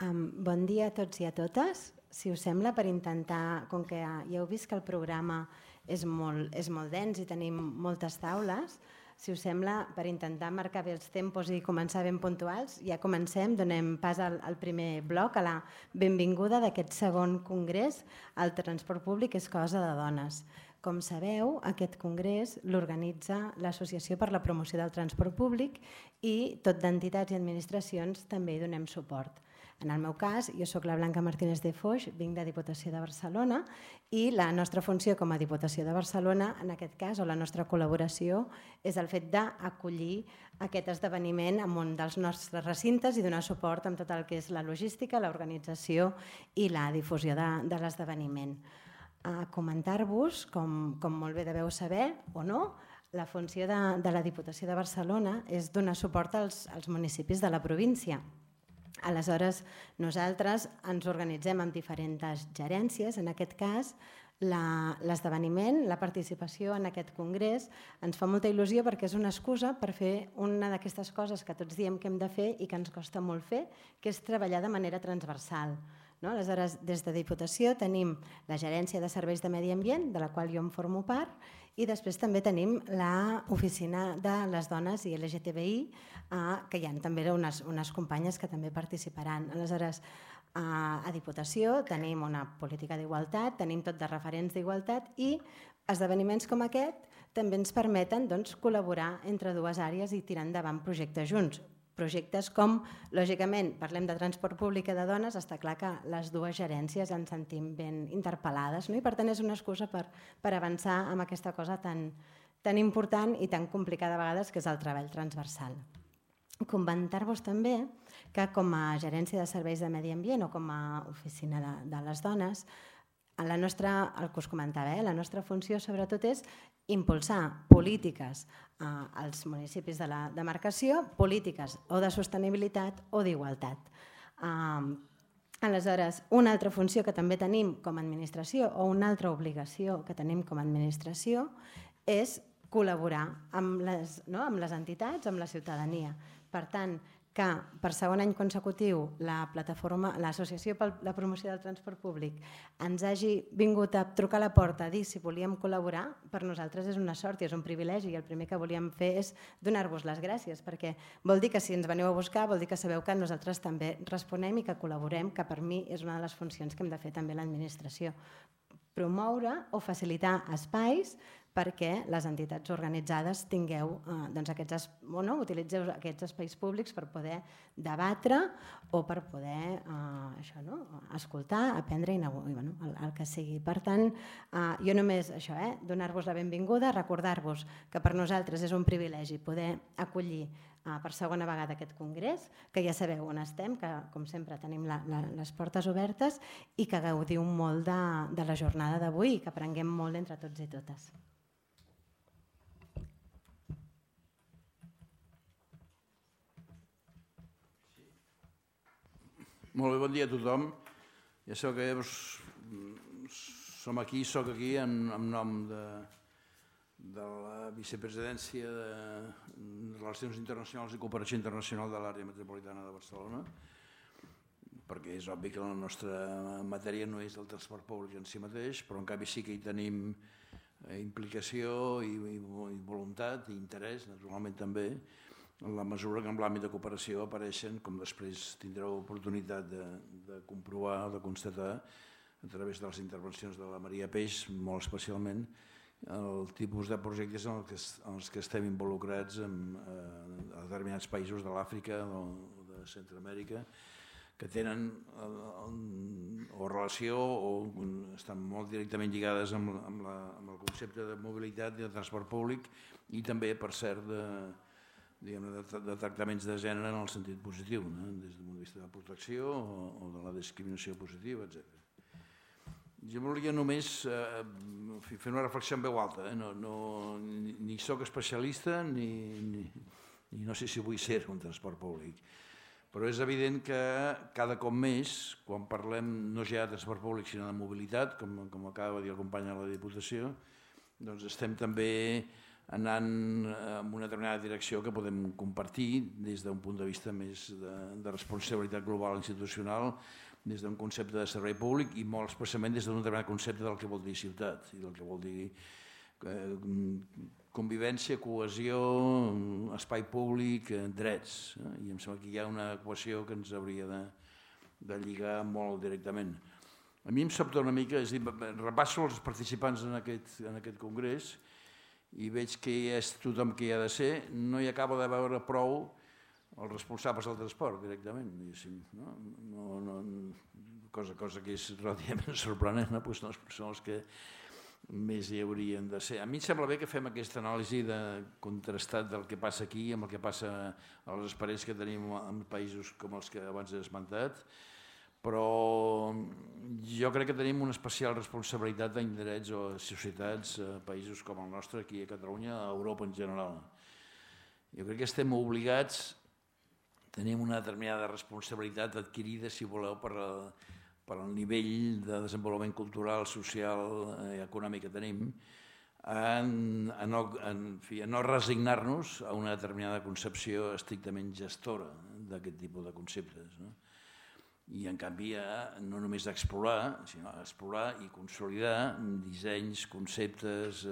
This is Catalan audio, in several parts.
Bon dia a tots i a totes. Si us sembla, per intentar, com que ja heu vist que el programa és molt dens i tenim moltes taules, si us sembla, per intentar marcar bé els tempos i començar ben puntuals, ja comencem, donem pas al primer bloc, a la benvinguda d'aquest segon congrés, El transport públic és cosa de dones. Com sabeu, aquest congrés l'organitza l'Associació per la Promoció del Transport Públic i tot d'entitats i administracions també hi donem suport. En el meu cas, jo soc la Blanca Martínez de Foix, vinc de Diputació de Barcelona i la nostra funció com a Diputació de Barcelona, en aquest cas, o la nostra col·laboració, és el fet d'acollir aquest esdeveniment en un dels nostres recintes i donar suport amb tot el que és la logística, l'organització i la difusió de l'esdeveniment. A comentar-vos, com molt bé deveu saber o no, la funció de la Diputació de Barcelona és donar suport als municipis de la província. Aleshores, nosaltres ens organitzem amb diferents gerències. En aquest cas, l'esdeveniment, la participació en aquest congrés ens fa molta il·lusió perquè és una excusa per fer una d'aquestes coses que tots diem que hem de fer i que ens costa molt fer, que és treballar de manera transversal. Aleshores, des de Diputació tenim la Gerència de Serveis de Medi Ambient, de la qual jo em formo part, i després també tenim l'Oficina de les Dones i LGTBI, que hi ha també unes companyes que també participaran. Aleshores, a Diputació tenim una política d'igualtat, tenim tot de referents d'igualtat i esdeveniments com aquest també ens permeten col·laborar entre dues àrees i tirar endavant projectes junts. Projectes com, lògicament, parlem de transport públic i de dones, està clar que les dues gerències ens sentim ben interpel·lades i per tant és una excusa per avançar amb aquesta cosa tan important i tan complicada a vegades que és el treball transversal. Comentar-vos també que com a Gerència de Serveis de Medi Ambient o com a Oficina de les Dones, el que us comentava, la nostra funció sobretot és impulsar polítiques als municipis de la demarcació, polítiques o de sostenibilitat o d'igualtat. Aleshores, una altra funció que també tenim com a administració o una altra obligació que tenim com a administració és col·laborar amb les entitats, amb la ciutadania. Per tant, que per segon any consecutiu l'Associació per la Promoció del Transport Públic ens hagi vingut a trucar a la porta a dir si volíem col·laborar, per nosaltres és una sort i és un privilegi i el primer que volíem fer és donar-vos les gràcies perquè vol dir que si ens veniu a buscar vol dir que sabeu que nosaltres també responem i que col·laborem, que per mi és una de les funcions que hem de fer també l'administració. Promoure o facilitar espais perquè les entitats organitzades utilitzeu aquests espais públics per poder debatre o per poder escoltar, aprendre i el que sigui. Per tant, jo només això, donar-vos la benvinguda, recordar-vos que per nosaltres és un privilegi poder acollir per segona vegada aquest congrés, que ja sabeu on estem, que com sempre tenim les portes obertes i que gaudiu molt de la jornada d'avui i que aprenguem molt entre tots i totes. Molt bé, bon dia a tothom. Ja sabeu que soc aquí en nom de la vicepresidència de Relacions Internacionals i Cooperació Internacional de l'Àrea Metropolitana de Barcelona, perquè és obvi que la nostra matèria no és el transport públic en si mateix, però en canvi sí que hi tenim implicació i voluntat i interès, naturalment també, en la mesura que en l'àmbit de cooperació apareixen, com després tindreu oportunitat de comprovar o de constatar a través de les intervencions de la Maria Peix, molt especialment, el tipus de projectes en els que estem involucrats en determinats països de l'Àfrica o de Centroamèrica que tenen o relació o estan molt directament lligades amb el concepte de mobilitat i de transport públic i també, per cert, de tractaments de gènere en el sentit positiu, des del punt de vista de la protecció o de la discriminació positiva, etc. Jo volia només fer una reflexió en veu alta. Ni soc especialista ni no sé si vull ser un transport públic, però és evident que cada cop més, quan parlem no ja de transport públic sinó de mobilitat, com acaba de dir el company de la Diputació, doncs estem també anant en una determinada direcció que podem compartir des d'un punt de vista més de responsabilitat global institucional, des d'un concepte de servei públic i molt especialment des d'un determinat concepte del que vol dir ciutat i del que vol dir convivència, cohesió, espai públic, drets. I em sembla que hi ha una equació que ens hauria de lligar molt directament. A mi em sobta una mica, és a dir, repasso els participants en aquest congrés i veig que és tothom que hi ha de ser, no hi acaba de veure prou els responsables del transport directament, cosa que és relativament sorprenent, són els que més hi haurien de ser. A mi em sembla bé que fem aquesta anàlisi de contrastat del que passa aquí amb el que passa a les experiències que tenim en països com els que abans he esmentat, però jo crec que tenim una especial responsabilitat d'indrets o societats a països com el nostre, aquí a Catalunya, a Europa en general. Jo crec que estem obligats, tenim una determinada responsabilitat adquirida, si voleu, per el nivell de desenvolupament cultural, social i econòmic que tenim, a no resignar-nos a una determinada concepció estrictament gestora d'aquest tipus de conceptes. I en canvi no només explorar, sinó explorar i consolidar dissenys, conceptes,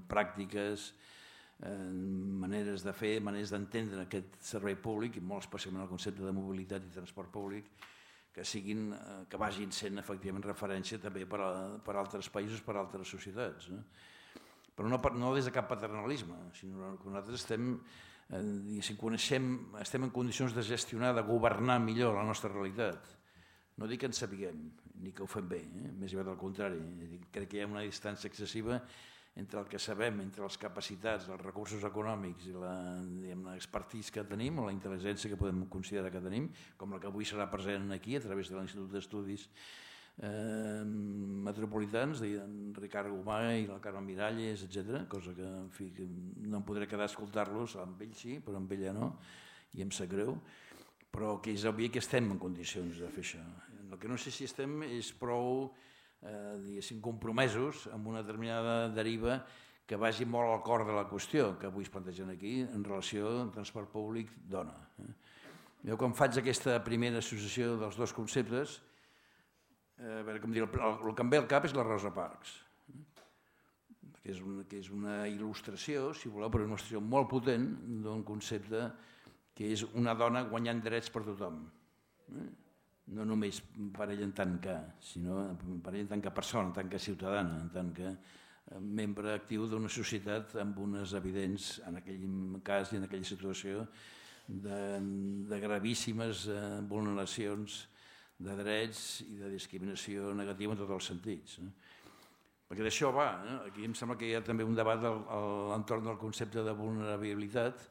pràctiques, maneres de fer, maneres d'entendre aquest servei públic i molt especialment el concepte de mobilitat i transport públic que vagin sent efectivament referència també per a altres països, per a altres societats. Però no des de cap paternalisme, sinó que nosaltres estem en condicions de gestionar, de governar millor la nostra realitat. No dic que en sapiguem, ni que ho fem bé, més aviat al contrari. Crec que hi ha una distància excessiva entre el que sabem, entre les capacitats, els recursos econòmics i l'expertise que tenim, o la intel·ligència que podem considerar que tenim, com la que avui serà present aquí a través de l'Institut d'Estudis Metropolitans, d'en Ricard Gomà i la Carme Miralles, etc. Cosa que, en fi, no em podré quedar a escoltar-los, amb ell sí, però amb ella no, i em sap greu, però que és obvi que estem en condicions de fer això. El que no sé si estem és prou compromesos amb una determinada deriva que vagi molt al cor de la qüestió que avui es plantegen aquí en relació al transport públic dona. Jo quan faig aquesta primera associació dels dos conceptes, a veure com dir, el que em ve al cap és la Rosa Parks, que és una il·lustració, si voleu, però una il·lustració molt potent d'un concepte que és una dona guanyant drets per tothom. No només per ell en tant que, sinó per ell en tant que persona, en tant que ciutadana, en tant que membre actiu d'una societat amb unes evidents, en aquell cas i en aquella situació, de gravíssimes vulneracions de drets i de discriminació negativa en tots els sentits. Perquè d'això va. Aquí em sembla que hi ha també un debat a l'entorn del concepte de vulnerabilitat.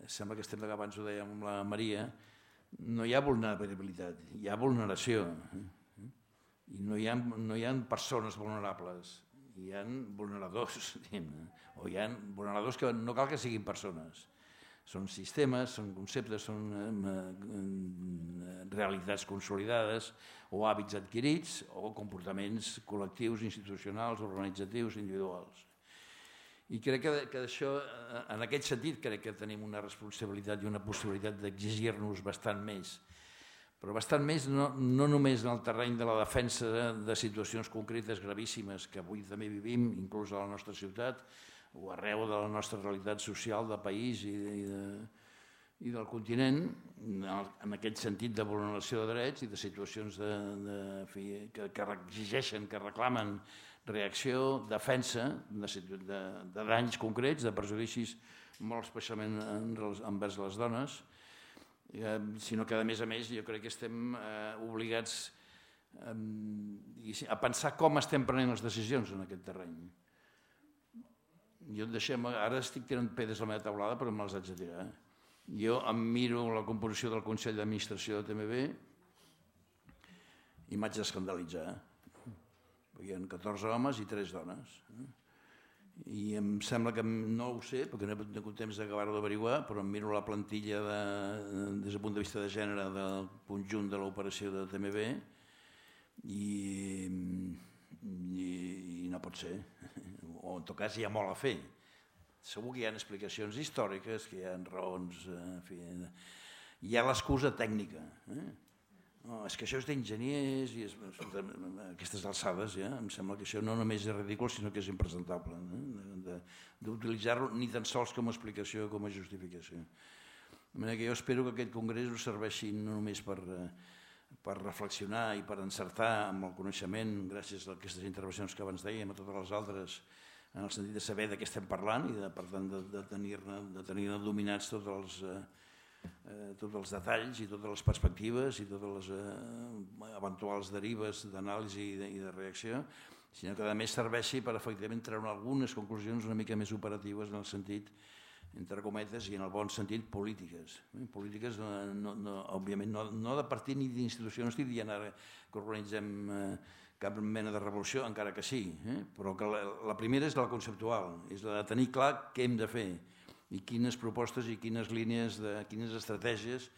Sembla que estem, abans ho dèiem amb la Maria, no hi ha vulnerabilitat, hi ha vulneració. I no hi ha persones vulnerables, hi ha vulneradors, o hi ha vulneradors que no cal que siguin persones. Són sistemes, són conceptes, són realitats consolidades o hàbits adquirits o comportaments col·lectius, institucionals, organitzatius, individuals. I crec que això, en aquest sentit, crec que tenim una responsabilitat i una possibilitat d'exigir-nos bastant més. Però bastant més no només en el terreny de la defensa de situacions concretes gravíssimes que avui també vivim, inclús a la nostra ciutat, o arreu de la nostra realitat social del país i del continent, en aquest sentit de vulneració de drets i de situacions que exigeixen, que reclamen reacció, defensa de danys concrets, de perjudicis molt especialment envers les dones, sinó que a més jo crec que estem obligats a pensar com estem prenent les decisions en aquest terreny. Jo ara estic tirant pedres a la meva taulada però me'ls haig de tirar. Jo em miro la composició del Consell d'Administració de TMB i m'haig d'escandalitzar. Hi ha 14 homes i 3 dones. I em sembla que, no ho sé, perquè no he tingut temps d'acabar-ho d'averiguar, però em miro la plantilla des del punt de vista de gènere del conjunt de l'operació de TMB i no pot ser. O en tot cas hi ha molt a fer. Segur que hi ha explicacions històriques, que hi ha raons, en fi, hi ha l'excusa tècnica. No, és que això és d'enginyers i a aquestes alçades ja em sembla que això no només és ridícul sinó que és impresentable d'utilitzar-lo ni tan sols com a explicació com a justificació. De manera que jo espero que aquest congrés us serveixi no només per reflexionar i per encertar amb el coneixement gràcies a aquestes intervencions que abans dèiem, a totes les altres, en el sentit de saber de què estem parlant i per tant de tenir-ne dominats tots els detalls i totes les perspectives i totes les eventuals derives d'anàlisi i de reacció, sinó que a més serveixi per efectivament treure algunes conclusions una mica més operatives en el sentit, entre cometes, i en el bon sentit, polítiques. Polítiques, òbviament, no de partit ni d'institució, no estic dient ara que organitzem cap mena de revolució, encara que sí, però que la primera és la conceptual, és la de tenir clar què hem de fer i quines propostes i quines línies, quines estratègies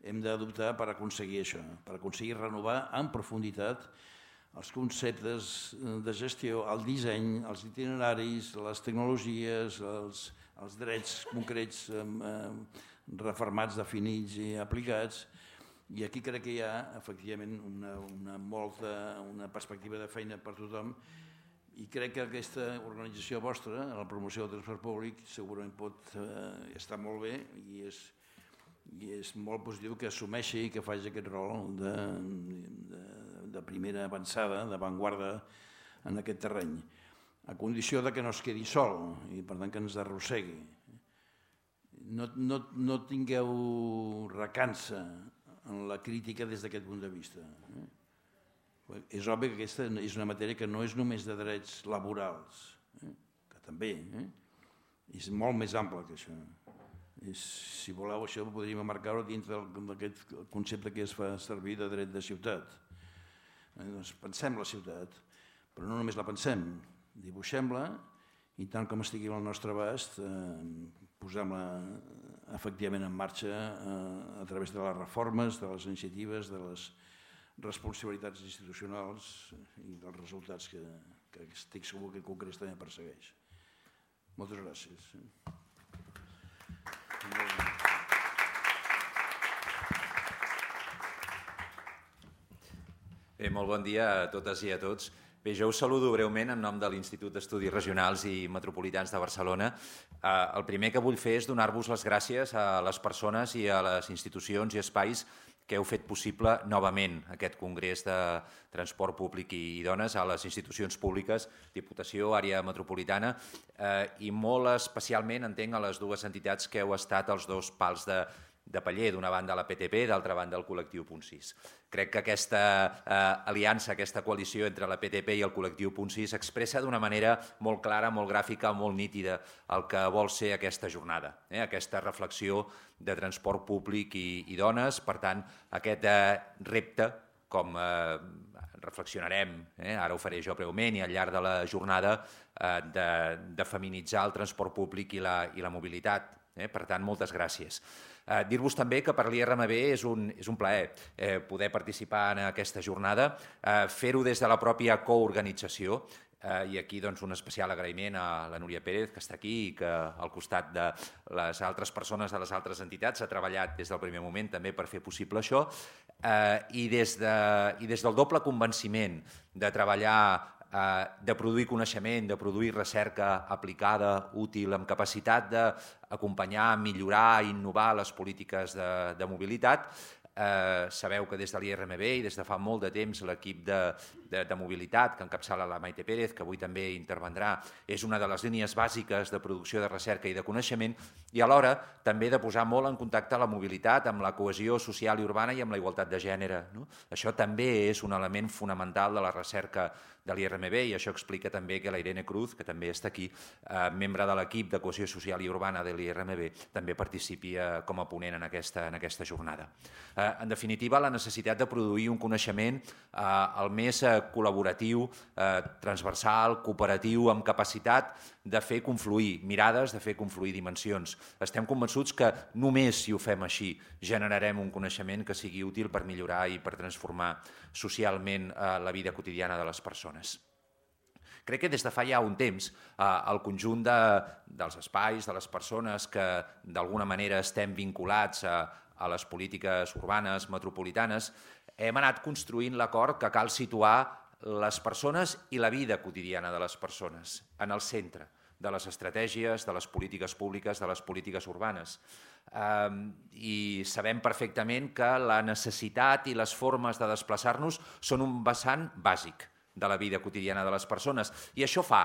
hem d'adoptar per aconseguir això, per aconseguir renovar en profunditat els conceptes de gestió, el disseny, els itineraris, les tecnologies, els drets concrets refermats, definits i aplicats. I aquí crec que hi ha, efectivament, una perspectiva de feina per tothom. I crec que aquesta organització vostra, la promoció del transport públic, segurament pot estar molt bé i és molt positiu que assumeixi i que faci aquest rol de primera avançada, d'avantguarda en aquest terreny, a condició que no es quedi sol i per tant que ens arrossegui. No tingueu recança en la crítica des d'aquest punt de vista. És obvi que aquesta és una matèria que no és només de drets laborals, que també, és molt més ample que això. Si voleu, això podríem emmarcar-ho dintre d'aquest concepte que es fa servir de dret de ciutat. Doncs pensem la ciutat, però no només la pensem, dibuixem-la i tant com estigui al nostre abast posem-la efectivament en marxa a través de les reformes, de les iniciatives, de les responsabilitats institucionals i dels resultats que estic segur que el Congrés també persegueix. Moltes gràcies. Molt bon dia a totes i a tots. Bé, jo us saludo breument en nom de l'Institut d'Estudis Regionals i Metropolitans de Barcelona. El primer que vull fer és donar-vos les gràcies a les persones i a les institucions i espais que heu fet possible novament aquest Congrés de Transport Públic i Dones a les institucions públiques, Diputació, Àrea Metropolitana, i molt especialment entenc a les dues entitats que heu estat els dos pals de paller, d'una banda la PTP, d'altra banda el col·lectiu Punt 6. Crec que aquesta aliança, aquesta coalició entre la PTP i el col·lectiu Punt 6 expressa d'una manera molt clara, molt gràfica, molt nítida el que vol ser aquesta jornada, aquesta reflexió de transport públic i dones. Per tant, aquest repte, com reflexionarem, ara ho faré jo breument i al llarg de la jornada, de feminitzar el transport públic i la mobilitat. Per tant, moltes gràcies. Dir-vos també que per l'IRMB és un plaer poder participar en aquesta jornada, fer-ho des de la pròpia coorganització, i aquí un especial agraïment a la Núria Pérez, que està aquí i que al costat de les altres persones de les altres entitats ha treballat des del primer moment també per fer possible això, i des del doble convenciment de treballar, de produir coneixement, de produir recerca aplicada, útil, amb capacitat d'acompanyar, millorar i innovar les polítiques de mobilitat. Sabeu que des de l'IRMB i des de fa molt de temps l'equip de mobilitat que encapçala la Maite Pérez, que avui també intervendrà, és una de les línies bàsiques de producció de recerca i de coneixement, i alhora també de posar molt en contacte la mobilitat amb la cohesió social i urbana i amb la igualtat de gènere. Això també és un element fonamental de la recerca de l'IRMB i això explica també que la Irene Cruz, que també està aquí, membre de l'equip de cohesió social i urbana de l'IRMB, també participi com a ponent en aquesta jornada. En definitiva, la necessitat de produir un coneixement el més col·laboratiu, transversal, cooperatiu, amb capacitat de fer confluir mirades, de fer confluir dimensions. Estem convençuts que només si ho fem així generarem un coneixement que sigui útil per millorar i per transformar socialment la vida quotidiana de les persones. Crec que des de fa ja un temps el conjunt dels espais, de les persones que d'alguna manera estem vinculats a les polítiques urbanes, metropolitanes, hem anat construint l'acord que cal situar les persones i la vida quotidiana de les persones en el centre de les estratègies, de les polítiques públiques, de les polítiques urbanes. I sabem perfectament que la necessitat i les formes de desplaçar-nos són un vessant bàsic de la vida quotidiana de les persones. I això fa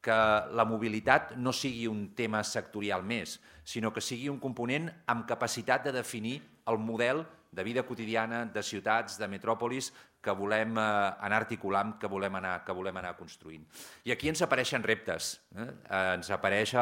que la mobilitat no sigui un tema sectorial més, sinó que sigui un component amb capacitat de definir el model de vida quotidiana, de ciutats, de metròpolis, que volem anar articulant, que volem anar construint. I aquí ens apareixen reptes. Ens apareix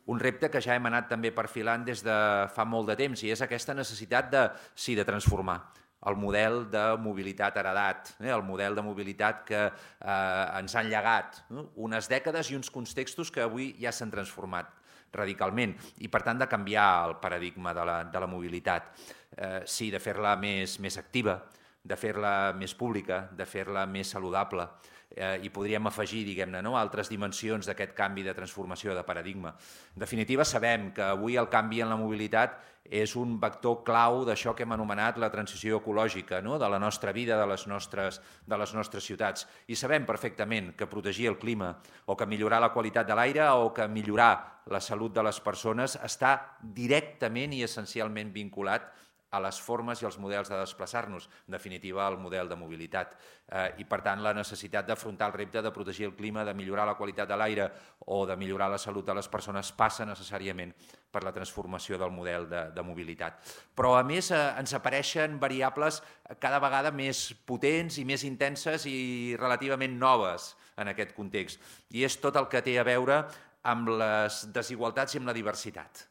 un repte que ja hem anat també perfilant des de fa molt de temps, i és aquesta necessitat de transformar el model de mobilitat heredat, el model de mobilitat que ens han llegat unes dècades i uns contextos que avui ja s'han transformat radicalment, i per tant de canviar el paradigma de la mobilitat. Sí, de fer-la més activa, de fer-la més pública, de fer-la més saludable, i podríem afegir, diguem-ne, altres dimensions d'aquest canvi de transformació de paradigma. En definitiva, sabem que avui el canvi en la mobilitat és un vector clau d'això que hem anomenat la transició ecològica, de la nostra vida, de les nostres ciutats. I sabem perfectament que protegir el clima o que millorar la qualitat de l'aire o que millorar la salut de les persones està directament i essencialment vinculat a les formes i els models de desplaçar-nos, en definitiva, el model de mobilitat. I, per tant, la necessitat d'afrontar el repte de protegir el clima, de millorar la qualitat de l'aire o de millorar la salut de les persones passa necessàriament per la transformació del model de mobilitat. Però, a més, ens apareixen variables cada vegada més potents i més intenses i relativament noves en aquest context. I és tot el que té a veure amb les desigualtats i amb la diversitat.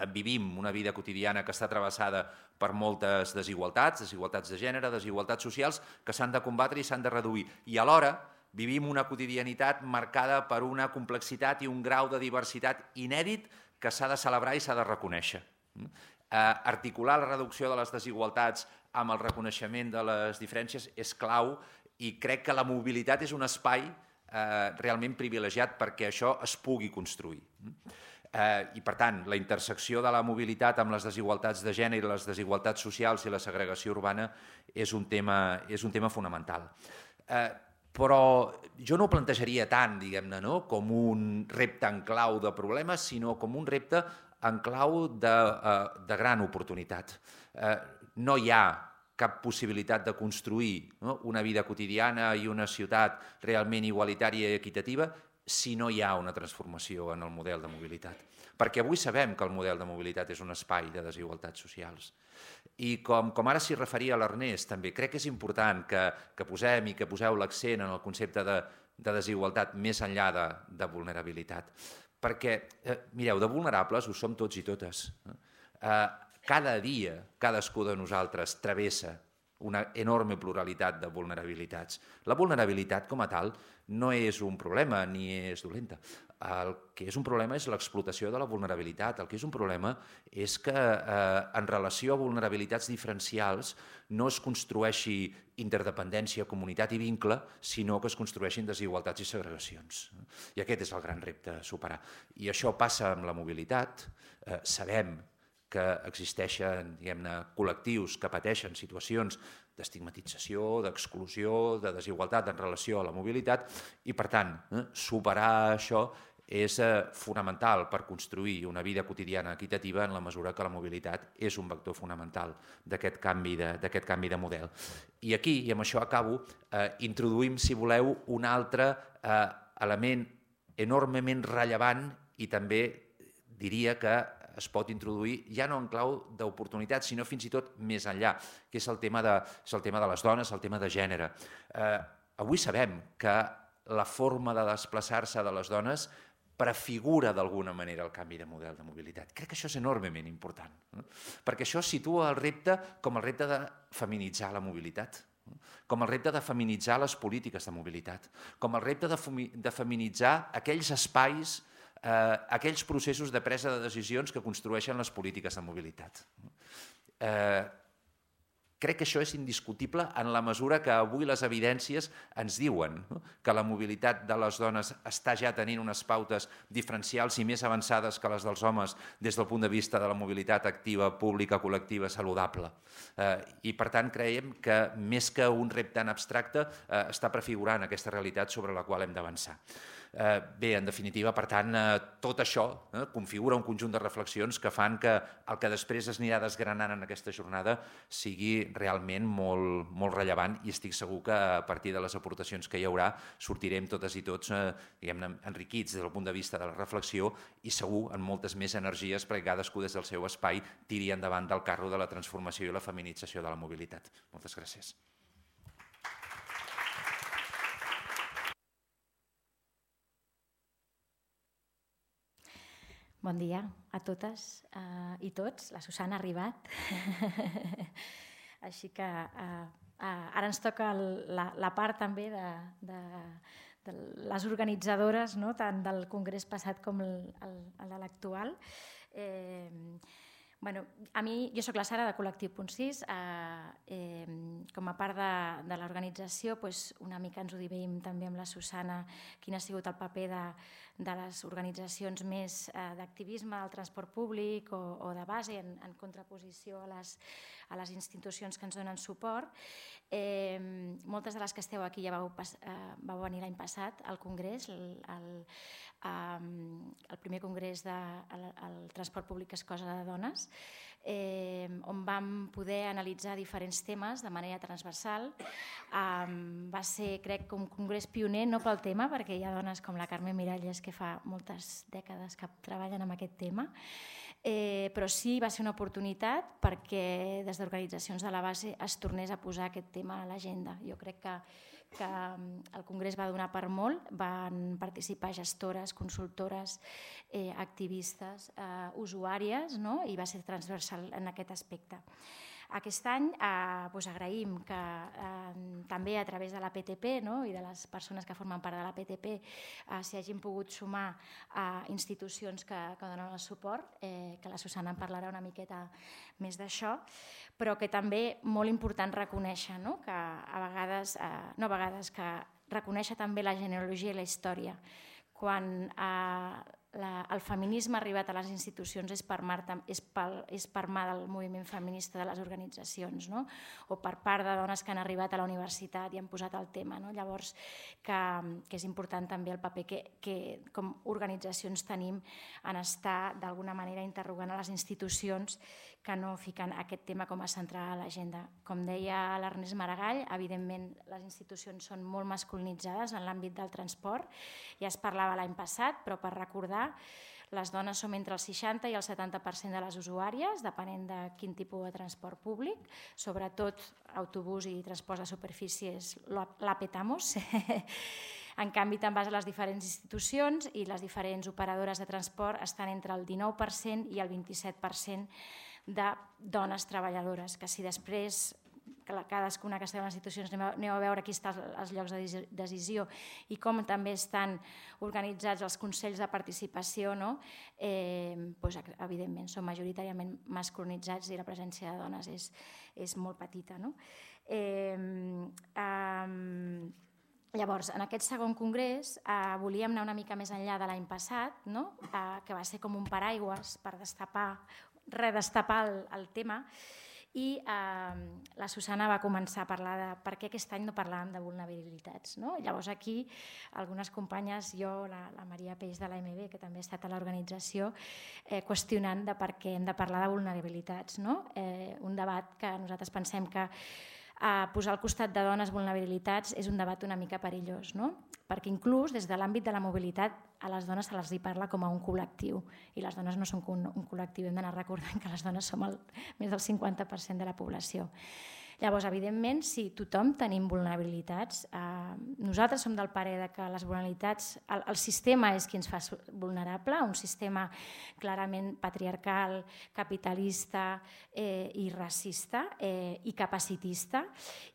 Vivim una vida quotidiana que està travessada per moltes desigualtats de gènere, desigualtats socials, que s'han de combatre i s'han de reduir. I alhora vivim una quotidianitat marcada per una complexitat i un grau de diversitat inèdit que s'ha de celebrar i s'ha de reconèixer. Articular la reducció de les desigualtats amb el reconeixement de les diferències és clau, i crec que la mobilitat és un espai realment privilegiat perquè això es pugui construir. I, per tant, la intersecció de la mobilitat amb les desigualtats de gènere, les desigualtats socials i la segregació urbana és un tema fonamental. Però jo no ho plantejaria tant, diguem-ne, com un repte en clau de problemes, sinó com un repte en clau de gran oportunitat. No hi ha cap possibilitat de construir una vida quotidiana i una ciutat realment igualitària i equitativa si no hi ha una transformació en el model de mobilitat. Perquè avui sabem que el model de mobilitat és un espai de desigualtats socials. I com ara s'hi referia l'Ernest, també crec que és important que posem i que poseu l'accent en el concepte de desigualtat més enllà de vulnerabilitat. Perquè, mireu, de vulnerables ho som tots i totes. Cada dia, cadascú de nosaltres travessa una enorme pluralitat de vulnerabilitats. La vulnerabilitat, com a tal, no és un problema ni és dolenta. El que és un problema és l'explotació de la vulnerabilitat. El que és un problema és que en relació a vulnerabilitats diferencials no es construeixi interdependència, comunitat i vincle, sinó que es construeixin desigualtats i segregacions. I aquest és el gran repte a superar. I això passa amb la mobilitat. Sabem que existeixen, diguem-ne, col·lectius que pateixen situacions d'estigmatització, d'exclusió, de desigualtat en relació a la mobilitat, i, per tant, superar això és fonamental per construir una vida quotidiana equitativa en la mesura que la mobilitat és un vector fonamental d'aquest canvi de model. I aquí, i amb això acabo, introduïm, si voleu, un altre element enormement rellevant i també diria que es pot introduir ja no en clau d'oportunitat, sinó fins i tot més enllà, que és el tema de les dones, el tema de gènere. Avui sabem que la forma de desplaçar-se de les dones prefigura d'alguna manera el canvi de model de mobilitat. Crec que això és enormement important, perquè això situa el repte com el repte de feminitzar la mobilitat, com el repte de feminitzar les polítiques de mobilitat, com el repte de feminitzar aquells espais, aquells processos de presa de decisions que construeixen les polítiques de mobilitat. Crec que això és indiscutible en la mesura que avui les evidències ens diuen que la mobilitat de les dones està ja tenint unes pautes diferencials i més avançades que les dels homes des del punt de vista de la mobilitat activa, pública, col·lectiva, saludable. I per tant creiem que més que un repte en abstracte està prefigurant aquesta realitat sobre la qual hem d'avançar. Bé, en definitiva, per tant, tot això configura un conjunt de reflexions que fan que el que després es anirà desgranant en aquesta jornada sigui realment molt rellevant i estic segur que a partir de les aportacions que hi haurà sortirem totes i tots enriquits des del punt de vista de la reflexió i segur amb moltes més energies perquè cadascú des del seu espai tiri endavant del carro de la transformació i la feminització de la mobilitat. Moltes gràcies. Bon dia a totes i tots. La Susana ha arribat. Així que ara ens toca la part també de les organitzadores, tant del congrés passat com el de l'actual. A mi, jo soc la Sara de Col·lectiu Punt 6. Com a part de l'organització, una mica ens ho dividim també amb la Susana quin ha sigut el paper de les organitzacions més d'activisme del transport públic o de base en contraposició a les institucions que ens donen suport. Moltes de les que esteu aquí ja vau venir l'any passat al congrés, el primer congrés del transport públic és cosa de dones, on vam poder analitzar diferents temes de manera transversal. Va ser, crec, un congrés pioner, no pel tema, perquè hi ha dones com la Carme Miralles que fa moltes dècades que treballen amb aquest tema, però sí va ser una oportunitat perquè des d'organitzacions de la base es tornés a posar aquest tema a l'agenda. Jo crec que el congrés va donar per molt, van participar gestores, consultores, activistes, usuàries, i va ser transversal en aquest aspecte. Aquest any agraïm que també a través de la PTP i de les persones que formen part de la PTP s'hi hagin pogut sumar institucions que donen el suport, que la Susana en parlarà una miqueta més d'això, però que també molt important reconèixer que que reconèixer també la genealogia i la història. Quan el feminisme ha arribat a les institucions és per mà del moviment feminista de les organitzacions, o per part de dones que han arribat a la universitat i han posat el tema. Llavors, que és important també el paper que com organitzacions tenim en estar d'alguna manera interrogant a les institucions que no fiquen aquest tema com a central a l'agenda. Com deia l'Ernest Maragall, evidentment les institucions són molt masculinitzades en l'àmbit del transport, ja es parlava l'any passat, però per recordar, les dones som entre el 60 i el 70% de les usuàries, depenent de quin tipus de transport públic, sobretot autobús i transport de superfícies la petamos. En canvi, te'n vas a les diferents institucions i les diferents operadores de transport estan entre el 19% i el 27% de dones treballadores, que si després cadascuna que estem en les institucions aneu a veure aquí estan els llocs de decisió i com també estan organitzats els consells de participació, evidentment són majoritàriament masculinitzats i la presència de dones és molt petita. Llavors, en aquest segon congrés volíem anar una mica més enllà de l'any passat, que va ser com un paraigües per redestapar el tema, i la Susana va començar a parlar de per què aquest any no parlàvem de vulnerabilitats. Llavors aquí algunes companyes, jo, la Maria Peix de l'AMB, que també ha estat a l'organització, qüestionant de per què hem de parlar de vulnerabilitats. Un debat que nosaltres pensem que posar al costat de dones vulnerabilitats és un debat una mica perillós, perquè inclús des de l'àmbit de la mobilitat a les dones se les parla com a un col·lectiu i les dones no són un col·lectiu, hem d'anar recordant que les dones som més del 50% de la població. Llavors, evidentment, si tothom tenim vulnerabilitats, nosaltres som del parer que les vulnerabilitats, el sistema és qui ens fa vulnerable, un sistema clarament patriarcal, capitalista i racista i capacitista,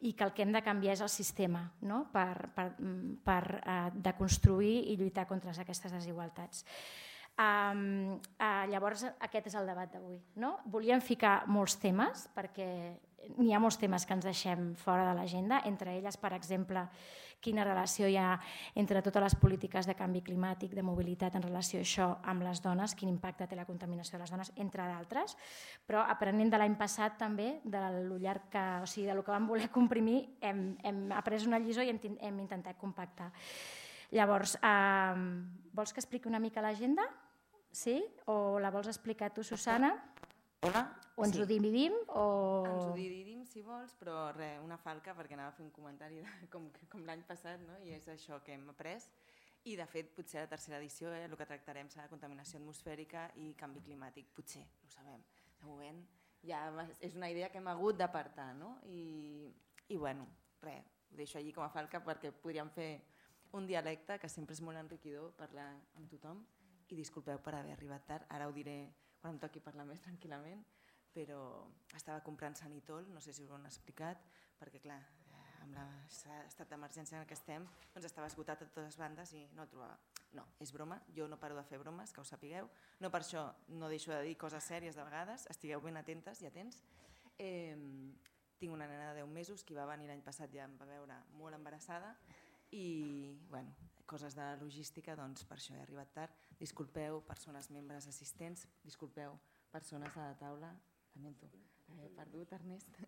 i que el que hem de canviar és el sistema per deconstruir i lluitar contra aquestes desigualtats. Llavors, aquest és el debat d'avui. Volíem ficar molts temes perquè n'hi ha molts temes que ens deixem fora de l'agenda, entre elles, per exemple, quina relació hi ha entre totes les polítiques de canvi climàtic, de mobilitat en relació a això amb les dones, quin impacte té la contaminació de les dones, entre d'altres, però aprenent de l'any passat també, del que vam voler comprimir, hem après una lliçó i hem intentat compactar. Llavors, vols que expliqui una mica l'agenda? Sí? O la vols explicar tu, Susana? Hola. O ens ho dividim? Ens ho dividim, si vols, però res, una falca, perquè anava a fer un comentari com l'any passat, no? I és això que hem après. I, de fet, potser a la tercera edició el que tractarem serà contaminació atmosfèrica i canvi climàtic. Potser, no ho sabem. De moment ja és una idea que hem hagut d'apartar, no? I bueno, res, ho deixo allí com a falca perquè podríem fer un dialecte que sempre és molt enriquidor parlar amb tothom. I disculpeu per haver arribat tard, ara ho diré quan em toqui parlar més tranquil·lament, però estava comprant Sanitol, no sé si us ho han explicat, perquè clar, amb l'estat d'emergència en què estem, doncs estava esgotat a totes bandes i no el trobava. No, és broma, jo no paro de fer bromes, que ho sapigueu, no per això no deixo de dir coses sèries de vegades, estigueu ben atentes i atents. Tinc una nena de 10 mesos que va venir l'any passat, ja em va veure molt embarassada i, bueno, coses de logística, doncs per això he arribat tard. Disculpeu, persones membres assistents, disculpeu, persones a la taula, lamento, he perdut, Ernest,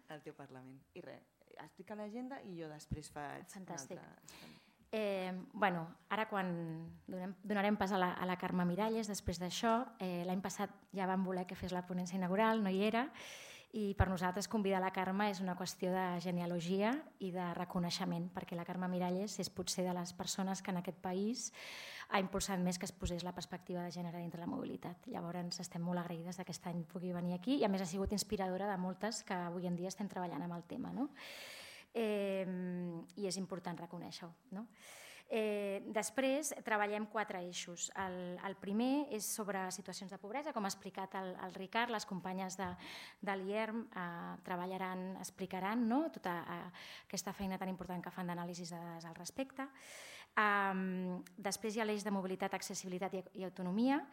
el teu Parlament. I res, explica l'agenda i jo després faig... Fantàstic. Bueno, ara quan donarem pas a la Carme Miralles, després d'això, l'any passat ja vam voler que fes la ponència inaugural, no hi era, i per nosaltres convidar la Carme és una qüestió de genealogia i de reconeixement, perquè la Carme Miralles és potser de les persones que en aquest país ha impulsat més que es posés la perspectiva de gènere dintre la mobilitat. Llavors estem molt agraïdes que aquest any pugui venir aquí i a més ha sigut inspiradora de moltes que avui en dia estem treballant amb el tema, no? I és important reconèixer-ho, no? Després treballem 4 eixos. El primer és sobre situacions de pobresa, com ha explicat el Ricard, les companyes de l'IERM treballaran, explicaran tota aquesta feina tan important que fan d'anàlisis de dades al respecte. Després hi ha l'eix de mobilitat, accessibilitat i autonomia.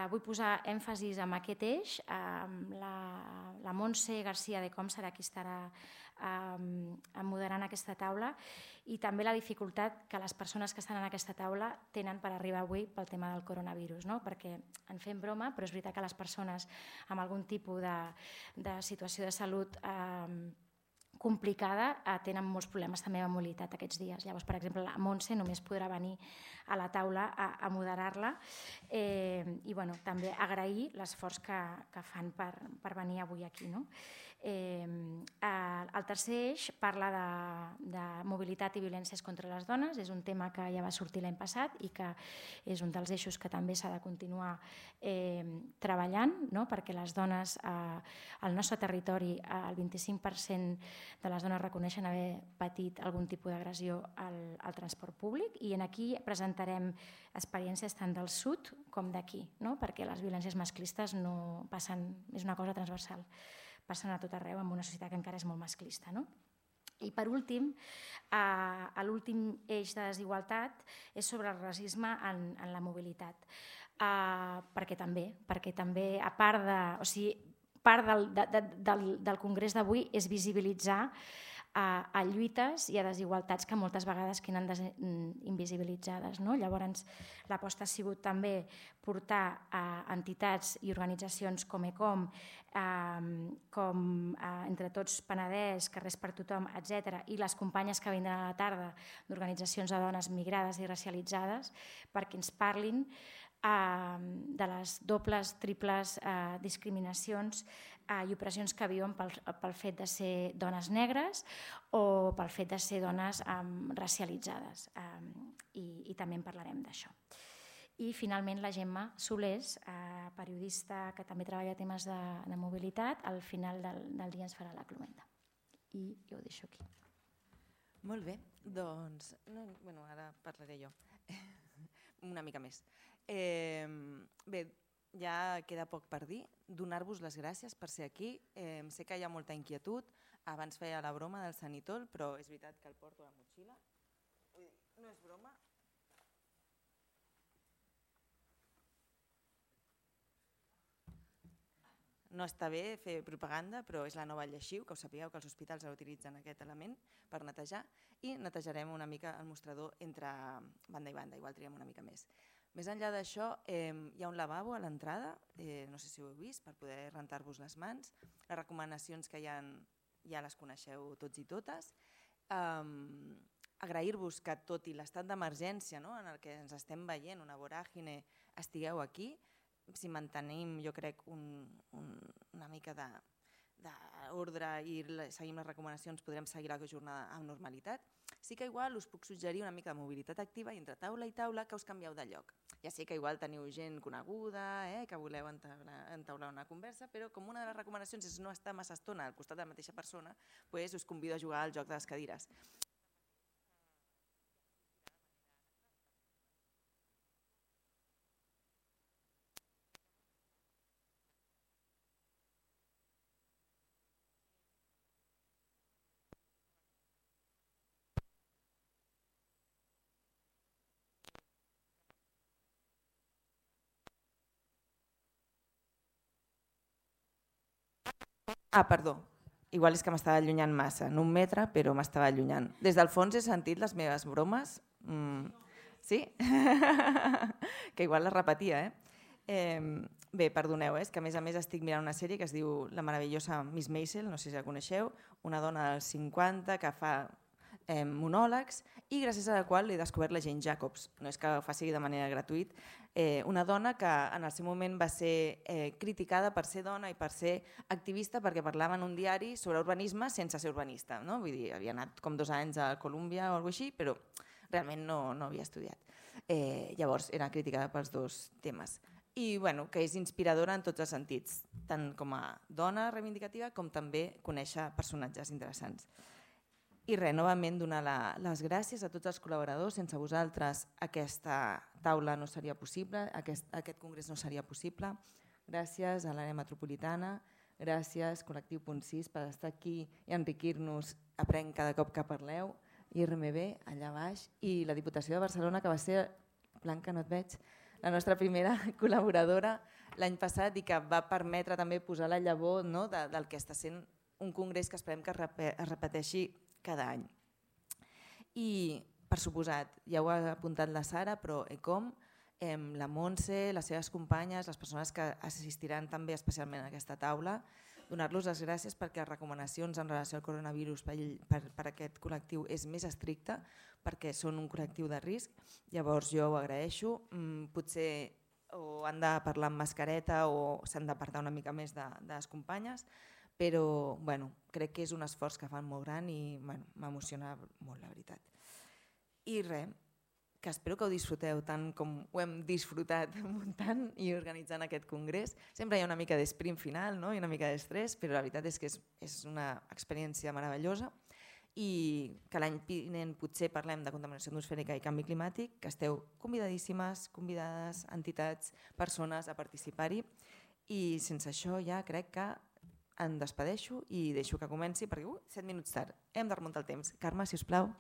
Vull posar èmfasis en aquest eix. La Montse García de Com serà qui estarà moderant aquesta taula i també la dificultat que les persones que estan en aquesta taula tenen per arribar avui pel tema del coronavirus, no? Perquè en fem broma, però és veritat que les persones amb algun tipus de situació de salut complicada tenen molts problemes també amb mobilitat aquests dies. Llavors, per exemple, la Montse només podrà venir a la taula a moderar-la i també agrair l'esforç que fan per venir avui aquí, no? El tercer eix parla de mobilitat i violències contra les dones. És un tema que ja va sortir l'any passat i que és un dels eixos que també s'ha de continuar treballant, no? Perquè les dones al nostre territori, el 25% de les dones reconeixen haver patit algun tipus d'agressió al transport públic i aquí presentarem experiències tant del sud com d'aquí, no? Perquè les violències masclistes no passen, és una cosa transversal, passen a tot arreu en una societat que encara és molt masclista, no? I per últim, l'últim eix de desigualtat és sobre el racisme en la mobilitat. Perquè també, a part del congrés d'avui és visibilitzar a lluites i a desigualtats que moltes vegades queden invisibilitzades, no? Llavors, l'aposta ha sigut també portar a entitats i organitzacions com ECOM, com Entre Tots Penedès, Carrers per Tothom, etc., i les companyes que vindran a la tarda d'organitzacions de dones migrades i racialitzades perquè ens parlin de les dobles, triples discriminacions i opressions que viuen pel fet de ser dones negres o pel fet de ser dones racialitzades. I també en parlarem d'això. I finalment la Gemma Solés, periodista que també treballa temes de mobilitat, al final del dia ens farà la cloenda. I jo ho deixo aquí. Molt bé, doncs ara parlaré jo una mica més. Bé, ja queda poc per dir. Donar-vos les gràcies per ser aquí. Sé que hi ha molta inquietud. Abans feia la broma del Sanitol, però és veritat que el porto a la motxilla. No és broma. no està bé fer propaganda, però és la nova lleixiu, que us sapigueu que els hospitals utilitzen aquest element per netejar, i netejarem una mica el mostrador entre banda i banda, igual triem una mica més. Més enllà d'això, hi ha un lavabo a l'entrada, no sé si ho heu vist, per poder rentar-vos les mans. Les recomanacions que hi ha ja les coneixeu tots i totes. Agrair-vos que tot i l'estat d'emergència en el que ens estem veient, una voràgine, estigueu aquí. Si mantenim, jo crec, una mica d'ordre i seguim les recomanacions, podrem seguir la jornada amb normalitat. Sí que igual us puc suggerir una mica de mobilitat activa i entre taula i taula que us canvieu de lloc. Ja sé que igual teniu gent coneguda, que voleu entaular una conversa, però com una de les recomanacions és no estar massa estona al costat de la mateixa persona, us convido a jugar al joc de les cadires. Perdó, igual és que m'estava allunyant massa, no 1 metre, però m'estava allunyant. Des del fons he sentit les meves bromes, sí? Que igual les repetia, Bé, perdoneu, és que a més estic mirant una sèrie que es diu La meravellosa Miss Maisel, no sé si la coneixeu, una dona dels 50 que fa monòlegs i gràcies a la qual he descobert la Jane Jacobs, no és que ho faci de manera gratuïta, una dona que en el seu moment va ser criticada per ser dona i per ser activista perquè parlava en un diari sobre urbanisme sense ser urbanista. Vull dir, havia anat com 2 anys a Colúmbia o alguna cosa així, però realment no havia estudiat. Llavors era criticada pels 2 temes. I que és inspiradora en tots els sentits, tant com a dona reivindicativa com també conèixer personatges interessants. I novament donar les gràcies a tots els col·laboradors. Sense vosaltres aquesta taula no seria possible, aquest congrés no seria possible. Gràcies a l'àrea metropolitana, gràcies Col·lectiu Punt 6 per estar aquí i enriquir-nos, aprenc cada cop que parleu, IRMB allà baix, i la Diputació de Barcelona, que va ser, Blanca, no et veig, la nostra primera col·laboradora l'any passat i que va permetre també posar la llavor del que està sent un congrés que esperem que es repeteixi cada any. I, per suposat, ja ho ha apuntat la Sara, però ECOM, la Montse, les seves companyes, les persones que assistiran també especialment a aquesta taula, donar-los les gràcies perquè les recomanacions en relació al coronavirus per aquest col·lectiu és més estricta, perquè són un col·lectiu de risc. Llavors jo ho agraeixo. Potser o han de parlar amb mascareta o s'han d'apartar una mica més de les companyes, però crec que és un esforç que fan molt gran i m'emociona molt, la veritat. I res, que espero que ho disfruteu tant com ho hem disfrutat muntant i organitzant aquest congrés. Sempre hi ha una mica d'esprint final i una mica d'estrès, però la veritat és que és una experiència meravellosa i que l'any vinent potser parlem de contaminació atmosfèrica i canvi climàtic, que esteu convidadíssimes, convidades, entitats, persones a participar-hi, i sense això ja crec que em despedeixo i deixo que comenci perquè 7 minuts tard, hem de remuntar el temps. Carme, si us plau.